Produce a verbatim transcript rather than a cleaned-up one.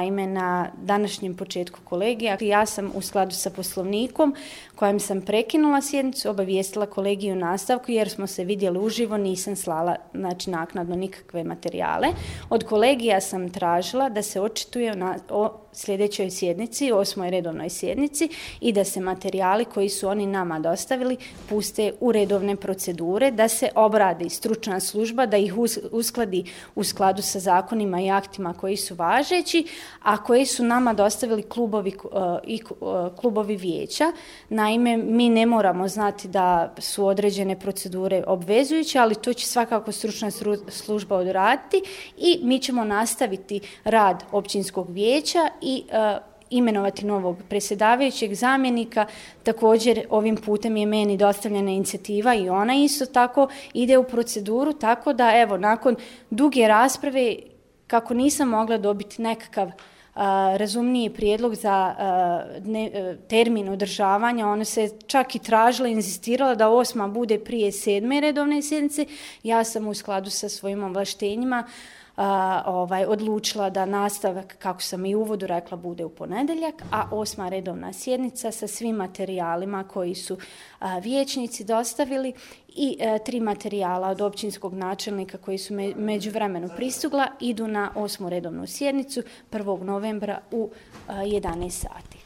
naime na današnjem početku kolegija. Ja sam u skladu sa poslovnikom kojem sam prekinula sjednicu, obavijestila kolegiju nastavku jer smo se vidjeli uživo, nisam slala znači, naknadno nikakve materijale. Od kolegija sam tražila da se očituje na, o sljedećoj sjednici, osmoj redovnoj sjednici i da se materijali koji su oni nama dostavili puste u redovne procedure, da se obradi stručna služba, da ih uskladi u skladu sa zakonima i aktima koji su važeći, a koji su nama dostavili klubovi i klubovi vijeća. Naime, mi ne moramo znati da su određene procedure obvezujuće, ali to će svakako stručna služba odraditi i mi ćemo nastaviti rad općinskog vijeća i uh, imenovati novog predsjedavajućeg zamjenika. Također ovim putem je meni dostavljena inicijativa i ona isto tako ide u proceduru, tako da evo nakon duge rasprave kako nisam mogla dobiti nekakav uh, razumniji prijedlog za uh, dne, uh, termin održavanja, ona se čak i tražila, inzistirala da osma bude prije sedme redovne sjednice. Ja sam u skladu sa svojim ovlaštenjima Uh, ovaj, odlučila da nastavak, kako sam i u uvodu rekla, bude u ponedjeljak, a osma redovna sjednica sa svim materijalima koji su uh, vijećnici dostavili i uh, tri materijala od općinskog načelnika koji su me, međuvremenu pristigla idu na osmu redovnu sjednicu prvog novembra u uh, jedanaest sati.